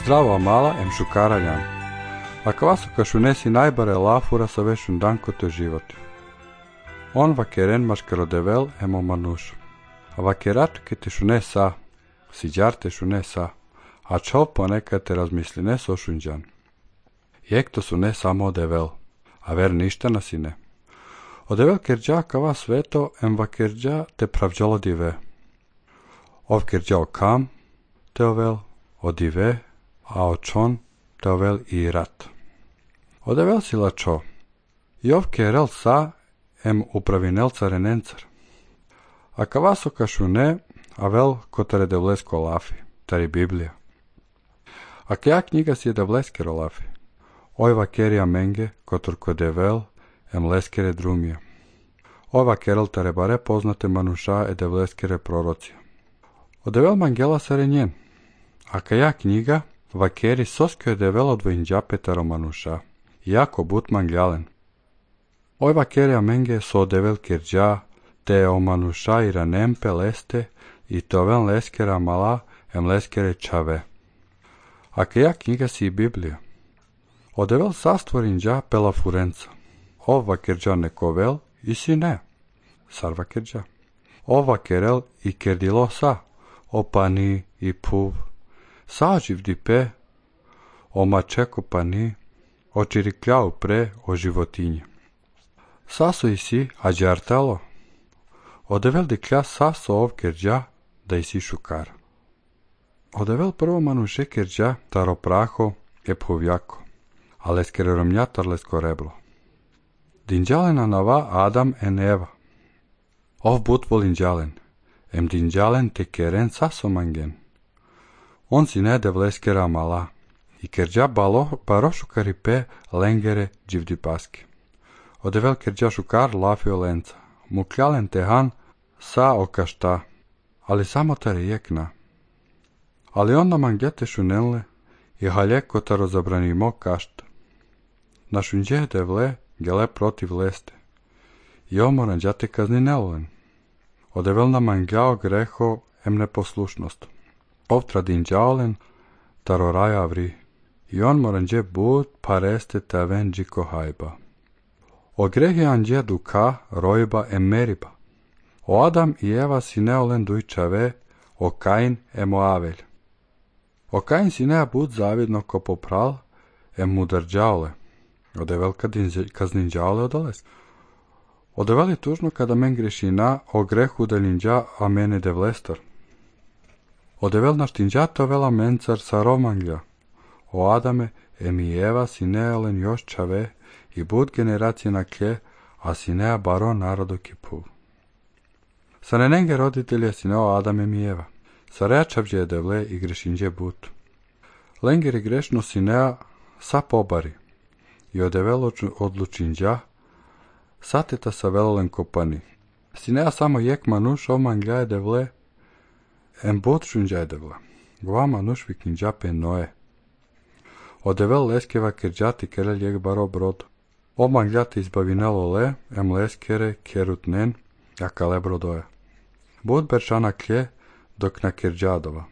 Zdravo mala em šukaraljan. Ako vas kašunesi najbare lafura sa vešun danko to život. On vakeren maškarodevel emo manuš. A vakerat ke te šunesa, siđar te šunesa, a čov ponekad te razmisli ne sošunđan. Jek to su ne samo odevel, a ver ništa nasine. Odevel kerđa kava sveto em vakerđa te pravđalo dive. Ov kerđa okam te ovel, odive, a očon te ovel i rat. Odevel si lačo, i ov kerel sa em upravinel carenencar. A kavaso kašune, a vel kotare devlesko lafi, tari Biblija. A kja knjiga si je devleskero lafi, oj vakerija menge, kotor kodevel, em leskere drumije. Oj vakerel tare bare poznate manuša e devleskere prorocija. Odevel mangela sarenjen, a kja knjiga, vakeri soskio je devel odvojnđape taro manuša, jako but mangjalen. Oj vakerija menge so odevel kerđa, te o manuša i ranempe leste, i tovel leskera mala em leskere čave. A kja knjiga si i Biblija. Odevel sastvorinđa pela furenca. O vakerđa nekovel i si ne. Sar vakerđa. O vakerel i kerdilo sa. O pani i puv. Saživ dipe. O mačeko pani. O čirikljau pre o životinje. Saso i si, a džartalo. Odevel diklja saso ov kerđa, da i si šukar. Odevel prvo manuše kerđa, taro praho, e povjako, a leskere romnja tarlesko reblo. Dinđalena nava Adam en Eva. Ov but volinđalen, em dinđalen te keren saso mangen. On si ne devleskera mala, i kerđa baro šukari pe lengere dživdi paske. Odevel kerđa šukar lafio lenca, mukljalen tehan sa okašta, ali samo tare jekna. Ali onda mangete šunenle i haljeko taro zabranimo kašta. Na šunđe devle gele protiv leste. I omoran džate kazni nelolen. Odevel na mangjao greho em neposlušnost. Ovtra dinđaolen taro raja vri. I on moran dje bud pareste te venđi kohajba. O grehi anđe duka rojba em meriba. O Adam i Eva si neolen dujčave, o Kain em Avelj. O Kain si nea bud zavidno ko popral, em mudrđaole. Odevel kazninđaole odoles. Odevel je tužno kada men grešina o grehu delinđa a mene devlestar. Odevel naštinđato vela mencar sa romanglja. O Adame em i Eva si neolen još čave i bud generacije na klje, a si nea baro narodo kipu. Sa nenenge roditelje si neo Adam em i Eva. Sa reačavđe je devle i grešinđe but. Lenger i grešno si nea sa pobari. I odevel odlučinđa, sateta sa velolen kopani. Si nea samo jek manuš omanglja je devle, em but šunđa je devle. Gva manuš vikinđa pe noe. Odevel leskeva kerđati kerel jek baro brod. Omanglja te izbavinelo le, em leskere kerutnen, jaka le brodoja. Bud beršana klje, dok na kerđadova.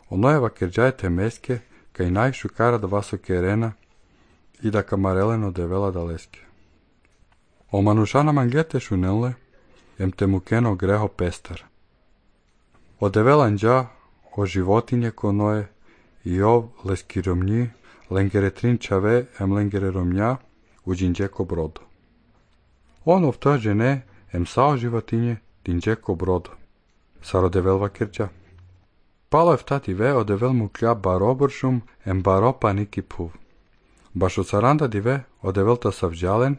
Onojeva kerđajte meske, kaj najšu kara da vaso kerena i da kamareleno devela da leske. O manušana manglete šunenle, em te mukeno greho pestar. O develanđa, o životinje konoje, i ov leski romnji, lengere trinčave, em lengere romnja, uđinđeko brodo. On ovtođe ne, em sao životinje, dinđeko brodo. Sar odevel vakerđa. Palo je vtati ve, odevel mu klja baro bršum, em baro paniki puv. Baš od saranda dive, odevel ta savđalen,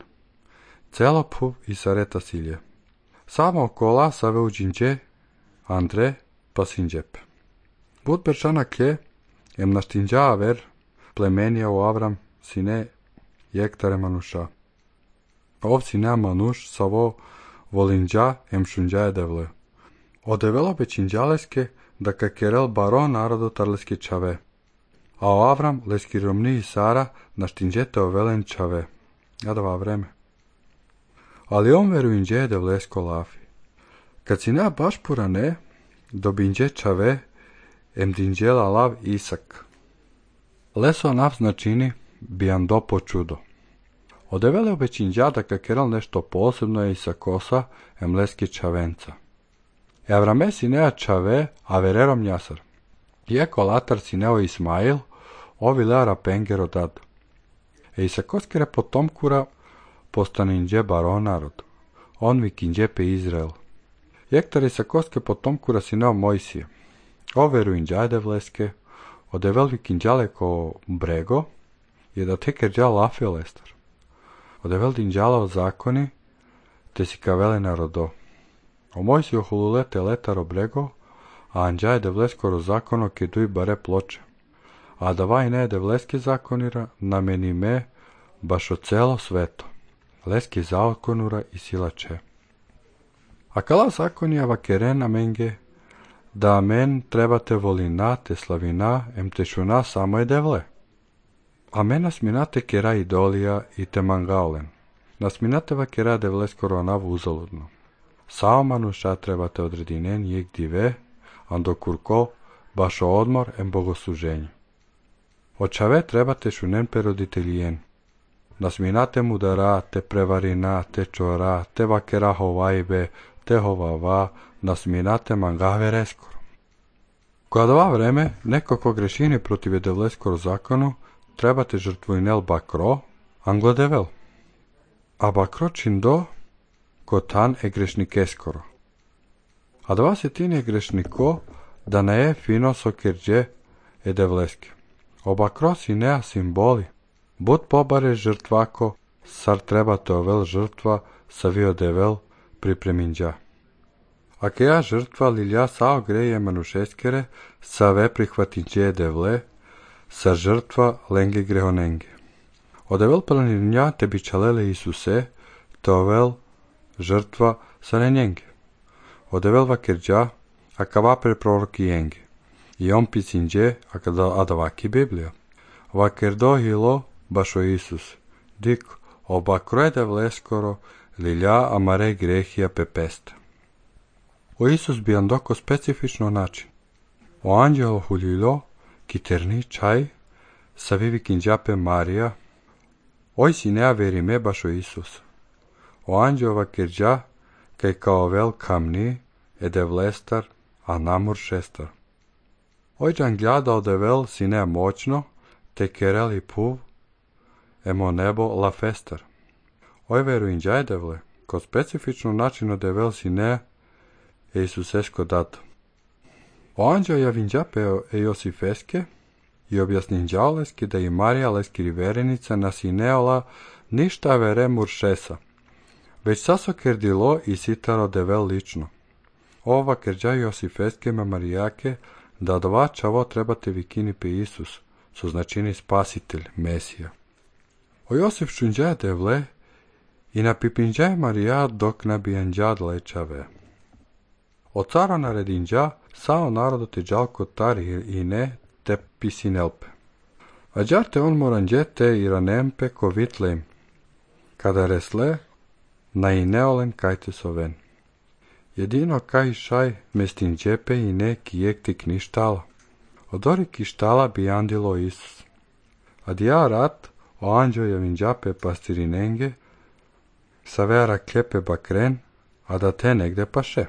celo puv i sareta silje. Samo okola save uđinđe, Andre pa sinđepe. Bud beršana klje, em naštinđa aver, plemenija u Avram, sine jektare manuša. Ov sine manuš, savo volinđa, em šunđa je devle. Odevelo bećinđaleske, da kakerel baro narodu tarleski čave. A o Avram, leski romni i Sara, naštinđete ovelen čave. Jadava vreme. Ali on veruinđe je devlesko lafi. Kad si nea baš purane, dobinđe čave, em dinđela lav Isak. Leso nav značini bijan dopo čudo. Odevele obećinđada ka keral nešto posebno je i sa kosa emleski čavenca. Avrame sinea čave avererom njasar. Ieko latar sineo Ismail, ovi leara pengero dad. E sa koskere potomkura postaninđe baron narod. On vikinđe pe Izrael. Jektari sa koske potomkura sineo Mojsije. Overu inđajde vleske, odevel vikinđale ko brego, je da teker džal lafe lestar. Odevel dinđala o zakoni, te si kavele narodo. O Mojsiju hululete letaro brego, a anđajde vleskoro zakono ke duj bare ploče. A da vaj ne de vleske zakonira, nameni me baš o celo sveto. Leski zakonura i silače. A kala zakonija vakeren amenge, da amen trebate volina te slavina em te šuna samo je devle. Amen nasminate kera idolija i te mangaulen. Nasminate vakera devle skoro navu uzaludno. Sao manuša trebate odredinen jek dive, ando kurko baš o odmor em bogosluženju. Očave trebate šunen pe roditeljen. Nasminate mudara, te prevarina, te čora, te vakera hovajbe, te hovava, nasminate mangave reskoro. Kada ova vreme, neko ko grešini protiv devleskoro zakonu, trebate žrtvujnel bakro, anglo devel. A bakro čindo, ko tan e grešnike-skoro. A dva se tin je grešniko, da ne je fino sokerđe e devleske. O bakro si nea simboli. Bud pobare žrtvako, sar trebate ovel žrtva, savio devel pripreminđa. A keja žrtva lilja sao greje manušeskere, save prihvatinđe devle, sa žrtva lenge grehonenge. Odevel planinja te bičalele Isuse, to ovel žrtva sa nenjenge. Odevel vakerđa, a kavaper proroki jenge. I on pisinđe, a davaki Biblija. Vakerdo hilo, baš o Isus. Dik, oba krojede vleskoro, lilja amare grehija pepesta. O Isus bi andoko specifično način. O anđelo huljilo, kiterni čaj, savivi kinđape Marija, oj si nea verime baš o Isus. O anđova kerđa, kaj kao vel kamni, ede vlestar, a namur šestar. Oj džangljada odevel si nea moćno, te kerel i puv, emo nebo la festar. Oj veru inđaj devle, ko specifično načino devel si nea, e Isusesko dato. O anđeo javinđape e Josifeske, i objasninđao leski da i Marija leski riverenica nasineola ništa vere muršesa, već saso kerdilo i sitaro devel lično. Ova kerđa Josifeske me Marijake, da dva čavo trebate vikini pe Isus, su značini spasitelj, Mesija. O Josif šunđaje devle i na pipinđaje Marija dok nabijanđad lečave. O cara naredinđa sao narodu te džalko tari i ne te pisinelpe. A džarte on moranđete i ranempe ko vitlem, kada resle na i neolen kajte soven. Jedino kaj šaj mestinđepe i ne kijek ti kništala. Odori kištala bi andilo Isus. A dija rat o anđo javinđape pastirinenge, sa vera klepe bakren, a da te negde paše.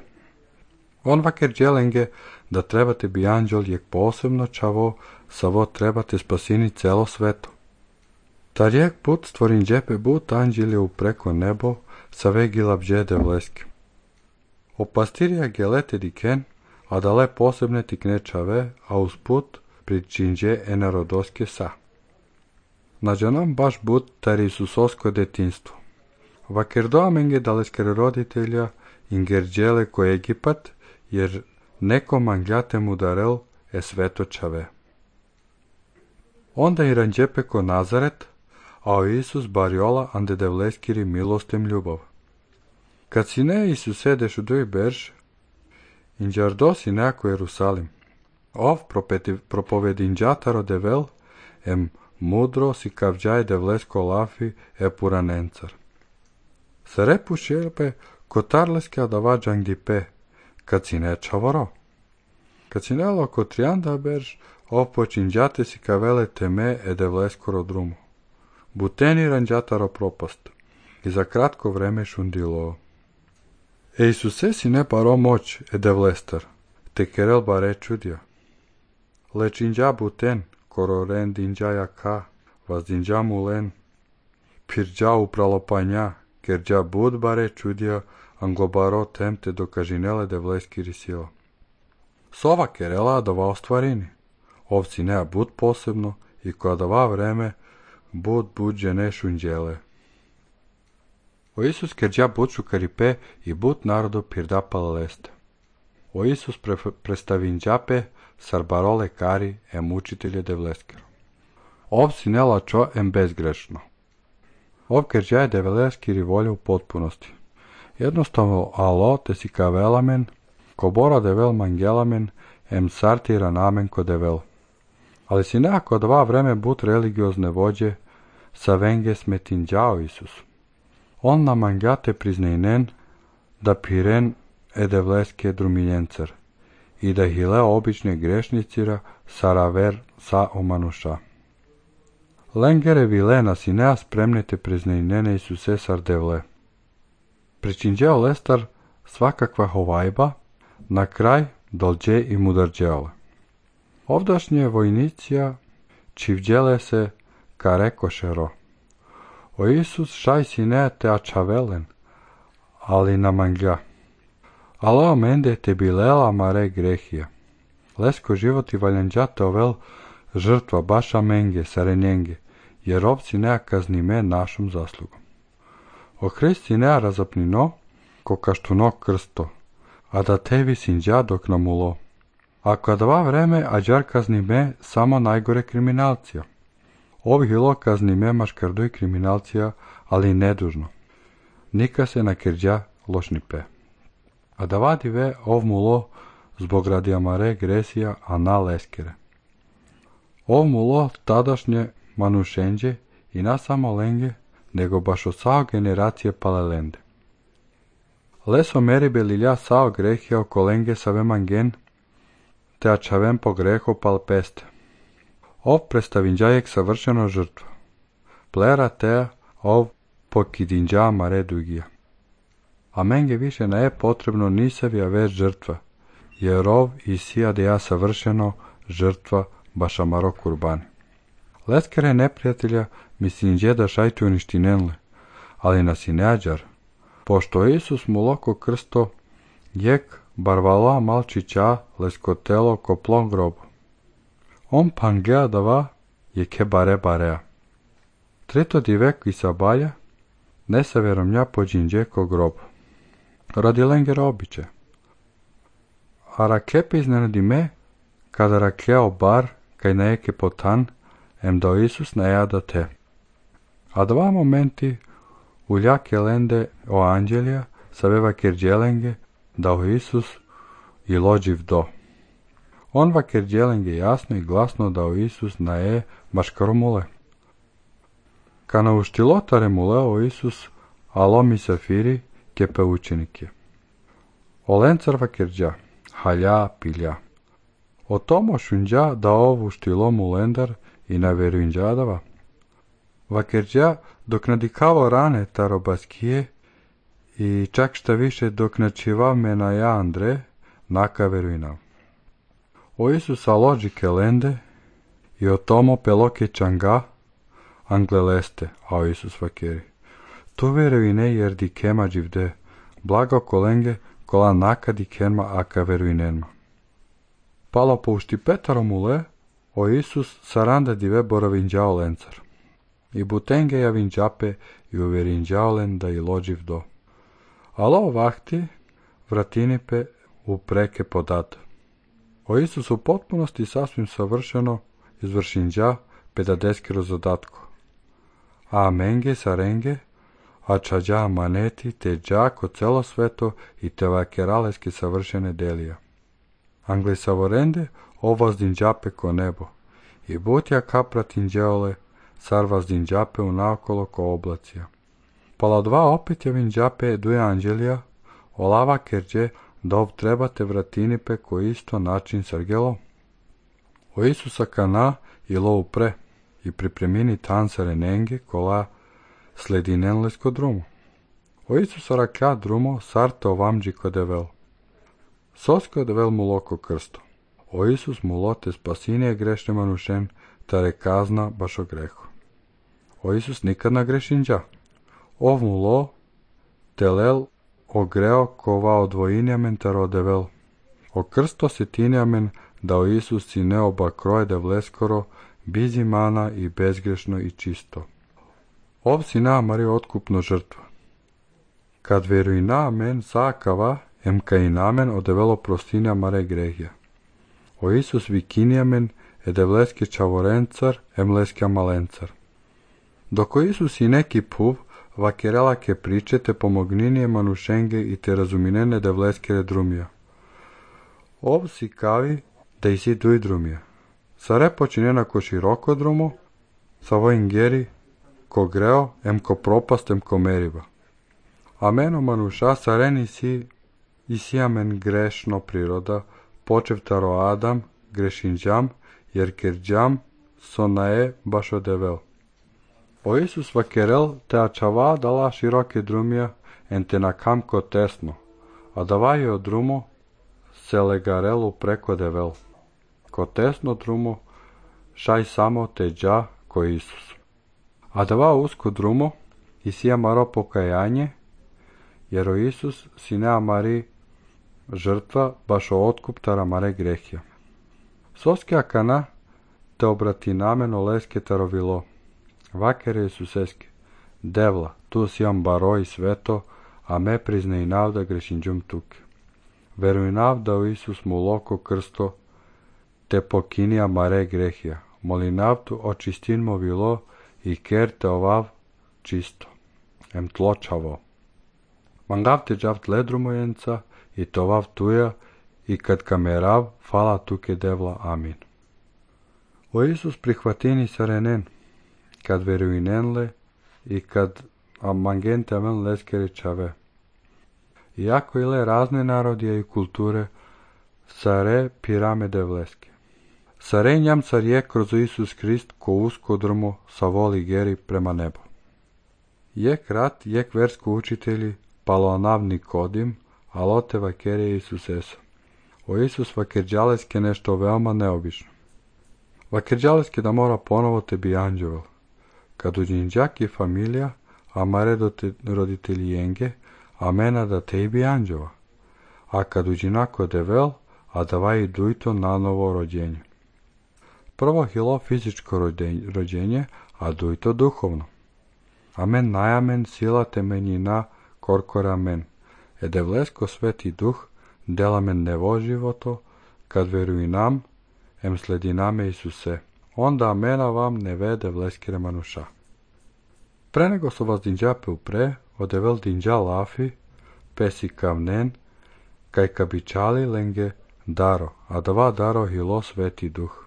On vaker dželenge, da trebate bi anđol jek posebno čavo, savo trebate spasini celo sveto. Ta rijek put stvorin džepe but anđelje upreko nebo, sa vegila bđede vleske. O pastirija gelete diken, a dale posebne tikne čave, a usput pričinđe enarodoske sa. Nađanom baš but tar Isusosko detinstvo. Vaker doamenge daleskere roditelja ingerđele ko Egipat, jer neko mangljate mu darel e sveto čave. Onda i ranđepe ko Nazaret, a o Isus barjola ande devleskiri milostem ljubav. Kad si ne Isuse dešuduj berž, inđardo si neko Jerusalim. Ov propovedinđataro devel, em mudro si kavđaj devlesko lafi e puranencar. Sarepu šerpe kotarleske adava džangdipe, kad si ne čavoro. Kad si nelo kotrianda berž, opočinđate si kavele teme edevleskoro drumu. Buteni ranđataro propast. I za kratko vreme šundilo. Isuse si ne paro moć edevlestar, te kerel bare čudja. Lečinđa buten, kororen dinđaja ka, vas dinđa mulen. Pirđa upralopanja, kerđa bud bare čudja, anglobaro temte do kažinele devleski risio. Sova kerela dava ostvarini. Ovci nea bud posebno i koja dava vreme, bud buđe ne šunđele. O Isus kerđa bud šukaripe i bud narodu pirda palaleste. O Isus predstavinđape sarbarole kari em učitelje devleskero. Ovci ne lačo em bezgrešno. Ov kerđa je devleskiri volja u potpunosti. Jednostavno alo te si kavelamen, ko bora devel mangelamen, em sartira namen ko devel. Ali si nekako dva vreme bud religiozne vođe, sa venge smetinđao Isus. On na mangjate priznejnen, da piren edevleske drumiljencer, i da hile obične grešnicira saraver sa omanuša. Lengere vilena si nea spremnite priznejnene Isuse sardevle. Pričinđeo lestar svakakva hovajba, na kraj dolđe i mudarđeole. Ovdašnje vojnicija čivđele se ka rekošero. O Isus šaj si ne te ačavelen, ali na mangja. Alao mende te bilela mare grehija. Lesko životi valjanđate ovel žrtva baša menge sarenjenge, jer ovci nea kaznime našom zaslugom. O Hristi nea razapnino, ko kaštuno krsto, a da tevi sinđa dok namulo. Ako dva vreme ađar kaznime samo najgore kriminalcija. Ovih ilo kaznime maškardoj kriminalcija, ali nedužno. Nika se na kerđa lošnipe. A da vadive ov mulo zbog radijamare gresija, a na leskere. Ov mulo tadašnje manušenđe i na samo lenge, nego baš od sao generacije palelende. Leso meribe lilja sao grehija oko lenge saveman gen, te ačavem po greho palpeste. Ov predstavinđajek savršeno žrtva. Plera te ov pokidinđa mare dugija. A menge više ne je potrebno nisavija već žrtva, jer ov i sija da ja savršeno žrtva bašamaro kurbani. Leskere neprijatelja misinđe da šajtu uništinenle, ali nas i neađar, pošto Isus mu loko krsto, jek barvala malčića leskotelo koplon grobu. On pangea dava je ke barea. Treto divek i sabalja, ne sa veromnja pođinđe ko grobu. Radi lengera običe. A rakepe iznenadi me, kada rakeo bar, kaj nejeke potan, em da Isus ne jada te. A dva momenti uljake lende o anđelja, saveva kerđelenge, da o Isus i lođiv do. On va kerđelenge jasno i glasno da o Isus na je maškaromule. Kana uštilotare mule o Isus, alo mi safiri, kepe učenike. O lencarva kerđa, halja pilja. O tomo šunđa da ovu štilo mulendar i na veruinđadava. Va kerđa dok nadikavo rane tarobaskije i čak šta više dok načiva mena ja Andre, naka veruinav. O Isusa lođike lende i o tomo peloke čanga, angleleste, a o Isus vakeri. Tu veruine jer di kema dživde, blago kolenge kola naka di kenma aka veruinenma. Palo poušti petarom ule, o Isus saranda dive boravinđao lencar. I butenge ja vinđape i uverinđao len da i lođiv do. Alo vahti vratinipe u preke podat. O Isus u potpunosti sasvim savršeno izvršinđa pedadeskiro zadatko. A menge sarenge, a čađa maneti te džako celo sveto i te vakeraleske savršene delija. Angli savorende ovazdinđape ko nebo i butja kapratinđeole sarvazdinđape u naokolo ko oblacija. Pala dva opet je vinđape duje anđelija, olava kerđe da trebate vratini ko isto način Sergelo. O Isusa kana i lo upre i pripremini tansare nenge kola sledinenlesko drumo. O Isusa rakja drumo sarte ovamđi kodevel. Sosko devel mu loko krsto. O Isus mu lote spasinije grešne manušen, tare kazna baš o grehu. O Isus nikad na grešinđa. Ov mu lo telel o greo kova odvojinjamen taro devel. O krsto setinjamen da o Isus si ne oba kroje devleskoro, bizimana i bezgrešno i čisto. Ov si namari otkupno žrtva. Kad veruj namen sakava, em ka i namen odevelo prostinja mare grehja. O Isus vikinjamen edevleski čavorencar, emleskja malencar. Dok o Isus i neki puv, vakerelake pričete pomogninije manušenge i te razuminene devleskere drumija. Ov si kavi da i si duj drumija. Sare počinjena ko široko drumo, sa vojn geri, ko greo, em ko propast, em ko meriva. Ameno manuša sareni si i si amen grešno priroda, počev taro Adam, grešinđam, jer kerđam sonae baš odevel. O Isus vakerel te ačava dala široke drumija, en te na kamko tesno, a davaju od drumo se legarelu preko devel. Ko tesno drumo, šaj samo te dža ko Isus. A dava usko drumo, i si amaro pokajanje, jer o Isus si ne amari žrtva baš o otkup tara mare grehja. Soske akana te obrati namen o leske tarovilo. Vakere Isuseske, devla, tu si am baro i sveto, a me prizne i navda grešinđum tuke. Veruj navda o Isus mu loko krsto, te pokinija mare grehja. Moli navdu očistin mo vilo i ker te ovav čisto. Em tločavo. Mangav te džav ledru mojenca i tovav tuja i kad kamerav fala tuke devla. Amin. O Isus prihvatini sarenen, kad veruinenle i kad amangente amen leskere čave. Iako ile razne narodije i kulture, sare pirame devleske. Sare njam car je kroz Isus Krist ko usko drmo sa voli geri prema nebo. Jek rat, jek versko učitelji, paloanavni kodim, alote vakere Isus esa. O Isus vakerđaleske nešto veoma neobično. Vakerđaleske da mora ponovo tebi anđevel. Kad uđinđak je familija, a mare roditelji jenge, a mena da tebi anđeva. A kad uđinako devel, a davaj dujto na novo rođenje. Prvo hilo fizičko rođenje, a dujto duhovno. Amen najamen sila temenjina korkora men. Edevlesko sveti duh, delamen nevo životo, kad veruj nam, em sledi name Isuse. Onda amena vam ne vede vleskire manuša. Pre nego so vas dinđape upre, odevel dinđa lafi, pesi kavnen, kaj kabičali lenge daro, a dva daro hilo sveti duh.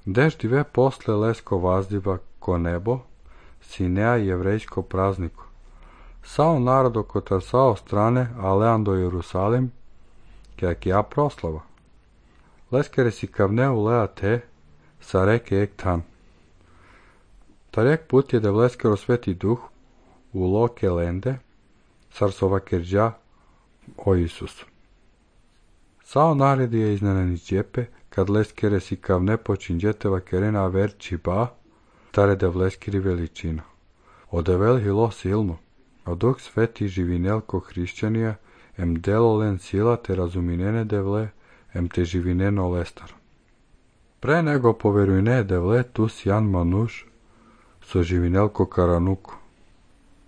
Dež dive posle lesko vazdiva ko nebo, sinea jevrejsko prazniku. Sao narodo kotar sao strane, alean do Jerusalim, kak ja proslava. Leskere si kavneu lea te, sa reke ek tan. Tarek put je da vleskero sveti duh u loke lende, sarsova kerđa o Isus. Sao naredi je iznenani džepe, kad leskere si kavne počinđeteva kerena verči ba, tare da vleskiri veličina. Odevel hilo silno, a duh sveti živinelko hrišćanija, em delolen sila te razuminene devle, em te živineno lestar. Pre nego poverujne devle tu sjan manuš, so živinelko karanuko.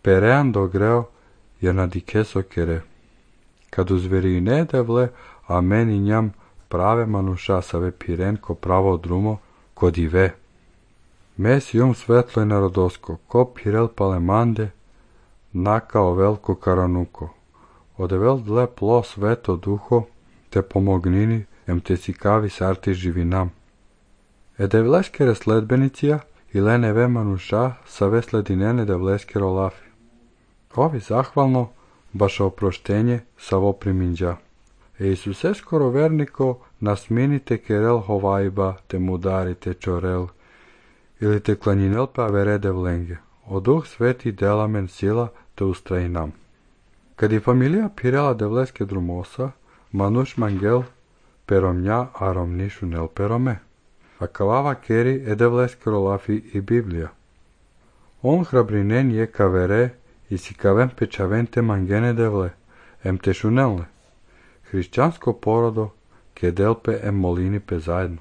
Perean dogreo je na dikeso kere. Kad uzverine devle, a meni njam prave manuša save pirenko pravo drumo, kod i ve. Mes jum svetlo je narodosko, ko pirel palemande, nakao velko karanuko. Odevel dle plo sveto duho, te pomognini, em te sikavi sarti živinam. Edevleskere sledbenicija, i lene ve manuša, sa ve sledinene devleskero lafi. Ovi zahvalno, baš oproštenje, sa vo priminđa. Iisuse skoro verniko nasminite kerel hovajba te mudarite čorel, ili te klanjinel pa verede vlenge. O Duh Sveti delamen sila te ustrajinam. Kad je familija pirela devleske drumosa, manuš mangel peromnja aromnišu nel perome. A kalava keri edevleskero lafi i Biblija. On hrabrinen je kavere i si kavem pečavente mangene devle, em te šunelne. Hrišćansko porodo ke delpe em molini pe zajedno.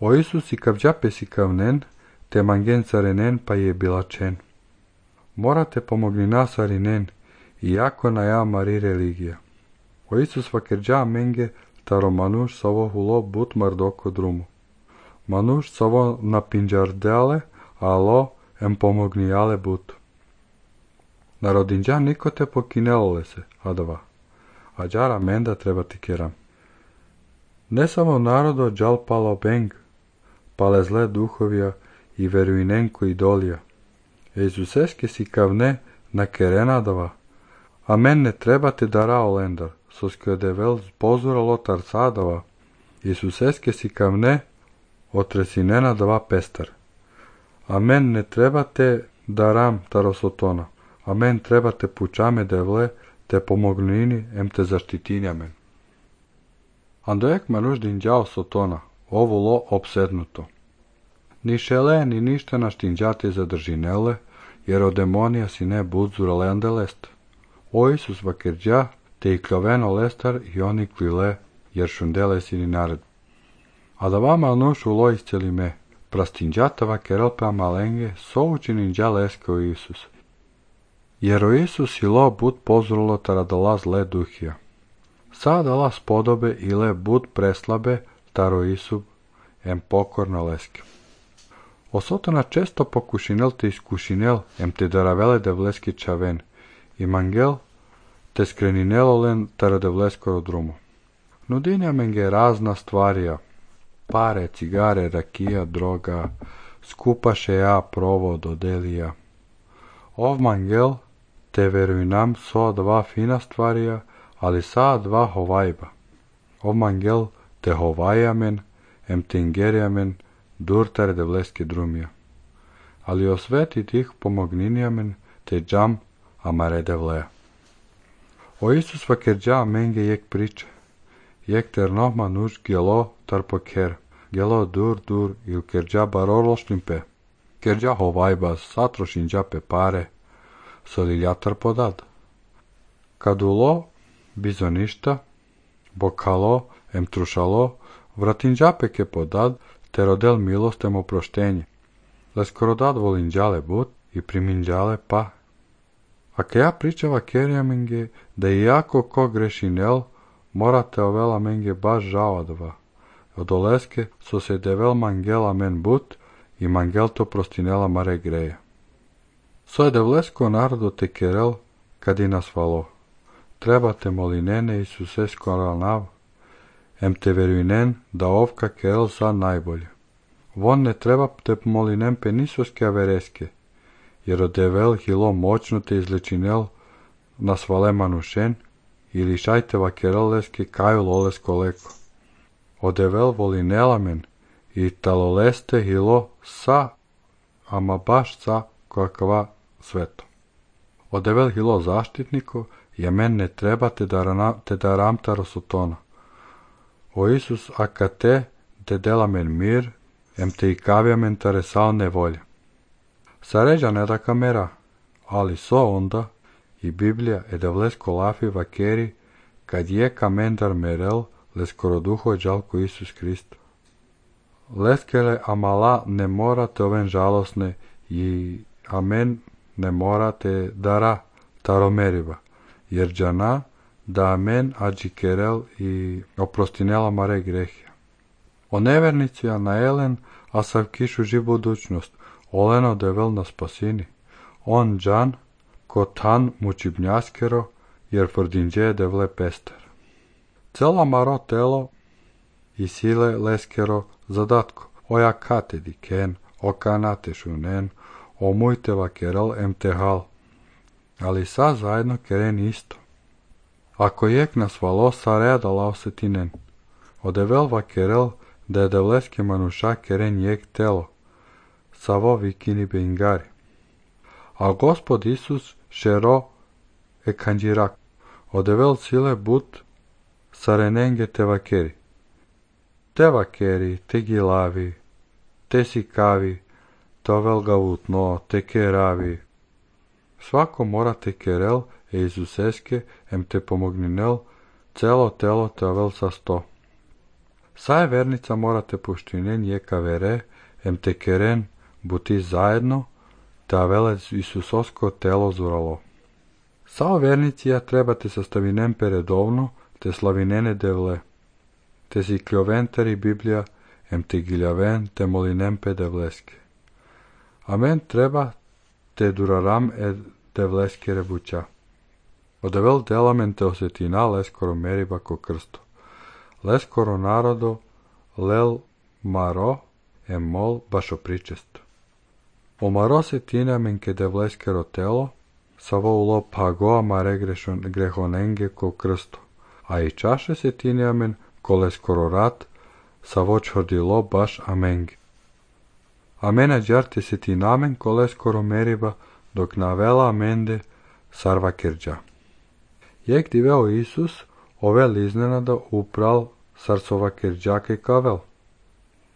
O Isus i kavđape si kavnen, te mangen carenen pa je bilačen. Morate pomogni nas arinen, iako na ja mari religija. O Isus vakerđa menge, taro manuš sovo hulo but mardoko drumu. Manuš sovo na pinđardeale, alo em pomognijale but. Narodinđa niko te pokinelole se, adava. A džara menda treba ti keram. Ne samo narodo džal palo beng, pale zle duhovija i veruinenko idolija. Izuseske si kavne na kerenadava. A men ne treba te darao lendar, soske devel pozura lotar sadava. Izuseske si kavne otresinena dava pestar. A men ne treba te daram tarosotona. A men treba te pučame devle, te pomognini em te zaštitinja men. Andojek manuš dinđao sotona, ovulo obsednuto. Ni šele, ni ništa naš dinđate zadržinele, jer od demonija si ne budzura lende lest. O Isus vakerđa, te i kloveno lestar i oni klile, jer šundele si ni nared. A da vama nuš ulo isceli me, prastinđata vakerelpa malenge, souči ninđa leske o Isus. Jer o Isus ilo bud pozrulo taradala zle duhija. Sada la spodobe ile bud preslabe taro Isub em pokorno leske. Osotona često pokušinel te iskušinel em te daravele devleski čaven i mangel te skreninelo len tara devleskoro drumo. Nudinja menge razna stvarija, pare, cigare, rakija, droga, skupaše ja provod odelija. Ov mangel te veruinam so dva fina stvarija, ali sa dva hovajba. Ov mangel te hovajamen, em te ingerijamen, durtare devleske drumija. Ali osveti tih pomogninjamen te džam amare devleja. O Isus vakerđa menge jek priče, jek ter nohma nuš gelo tar poker, gelo dur il kerđa barorlošlimpe, kerđa hovajba satrošinđa pe pare, soliljatar podad. Kadulo, bizoništa, bokalo, em trušalo, vratinđape ke podad, te rodel milostem oproštenje. Leskorodad volinđale but i priminđale pa. A ke ja pričava kerja menge, da iako ko grešinel, morate ovela menge baš žavadva. Od oleske so se devel mangela men but i mangel to prostinela mare greja. So je devlesko narodo te kerel, kad i nas valo. Trebate molinene Isuse skoralnav, em te veruinen da ovka kerel sa najbolje. Von ne treba te molinem pe nisoske avereske, jer od devel hilo moćno te izlečinel na svale manušen ili šajteva kereleske kaju lolesko leko. Od devel volinela men i taloleste hilo sa, ama baš sa kakva sveto. Od devel hilo zaštitniko, je men ne treba te daram tarosotona. O Isus akate te dela men mir, em te i kavja men taresal nevolja. Saređa ne da kamera, ali so onda i Biblija edevlesko lafi vakeri, kad je kamendar merel leskoro duho džalko Isus Kristo. Leskele amala ne morate oven žalosne i amen ne morate dara taromeriva, jer džana da amen ađi kerel i oprostinela mare grehija. O nevernici a na elen, a sav kišu živ budućnost, oleno devel na spasini. On džan, ko tan mučibnjaskero, jer fordinđe devle pester. Cela maro telo i sile leskero zadatko, oja katedi ken, o kanate šunen, o mujteva kerel emtehal, ali sa zajedno keren isto. Ако ек насвало сарея да лаусетинен. Одевел вакерел да е девлески мануша керен ек тело. Саво викини бенгари. А Господ Исус шеро е канджирак. Одевел силе бут сарененге те вакери. Те вакери, те гилави, те сикави, товел гавутно, те керави. Свако мора те керел е Исусеске ем те помогнинел цело тело товел са 100. Сај верница мора те пуштинен јека вере ем те керен бути заедно тавел Исусоско тело зурало. Сао верниција треба те съставинен передовно те славинене девле. Те си клјовентари Библија ем те гилјавен те молинем пе девлеске. Амен треба те дурарам е девлеске ребуќа. Одевел деламен те осетина лескоро мериба ко крсто. Лескоро народо лел маро е мол башо причесто. Омаро се тина мен ке девлескеро тело, саво уло пагоа маре грехоненге ко крсто, а и чаше се тина мен колескоро рат, саво чордило баш аменге. Амена джарте се тинамен колескоро мериба, док навела аменде сарва керджа. Јек дивео Исус, овел изненада упрал сарсова керджака и кавел.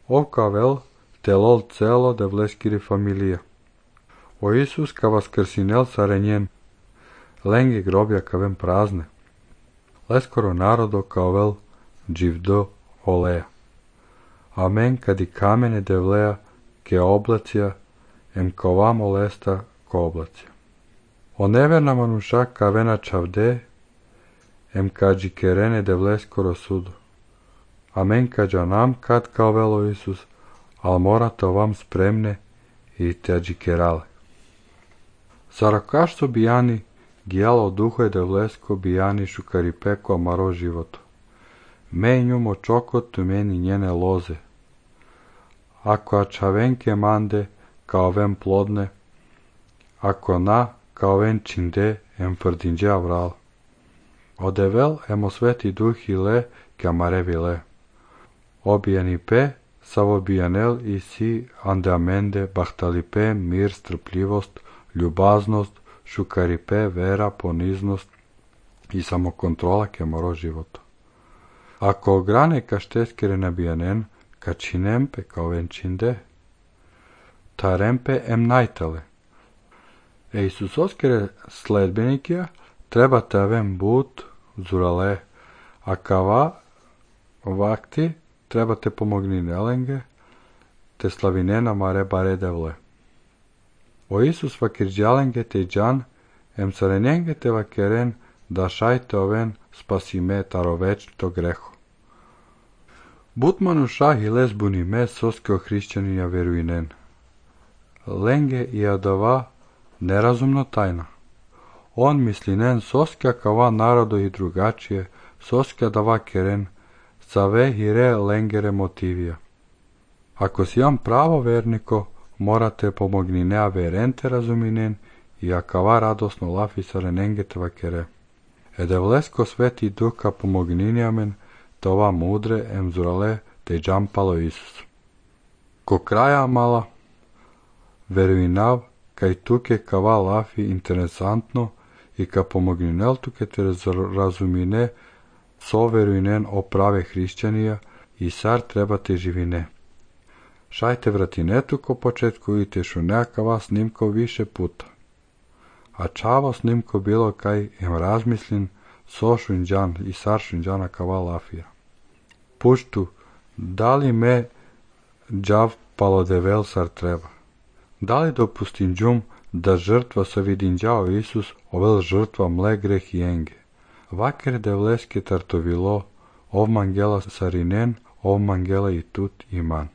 Ов кавел телол цело девлескири фамилија. О Исус ка воскрсинел саренјен, ленге гробја кавен празне. Лескоро народо кавел дживдо олеја. Амен кади камене девлеја ке облација, ем кова молеста ко облација. О неверна мануша кавена чавде, ем каджи керене девлескоро судо. Амен каджа нам кад кавело Исус, ал морате овам спремне и тяджи керале. Саракашто бијани гијало духо е девлеско бијани шукарипеко амаро живото. Мењу мочокот мени njene лозе. Ако ачавенке манде, каовен плодне, ако на, каовен чинде, ем фрдинđe аврал. Одевел емо свети дух иле, ке амаре виле. Обијани пе, саво бијанел и си андаменде, бахталипе, мир, стрпљивост, љубазност, шукарипе, вера, понизност и самоконтрола ке моро живото. Ако огране каштескере набијанен, качинемпе каовен чинде, таремпе ем најтале. Е Исусоскере следбеникија треба тавен бут зурале, а кава вакти треба те помогни неленге, те славинена маре баре девле. О Исус вакирджаленге те джан, ем сарененге те вакерен, да шајте овен спасиме таровечто грехо. Бут мануша хилес буниме соске христијанија веруинен. Ленге и адава неразумно тајна. Он мислинен соска кава народо и другачије, соска дава керен, саве хире ленгере мотивија. Ако си јам право вернико, морате помогни неа веренте разуминен и акава радосно лафи сарененгете вакере. Едевлеско свети дука помогниниамен, това мудре емзурале те джампало Исус. Ко краја мала, веруинав, кај туке кава лафи интересантно и ка помогнинел туке те разумине со веруинен о праве христијанија и сар треба те живине. Шајте вратинету ко почетку и те шунеакава снимко више пута. А чаво снимко било кај ем размислин со шунџан и сар шунџана кава лафија. Пушту, дали ме джав палодевел сар треба? Дали допустинџум да жртва со видинџао Исус овел жртва мле грех и енге? Вакер девлеске тартовило, ов мангела саринен, ов мангела и тут иман.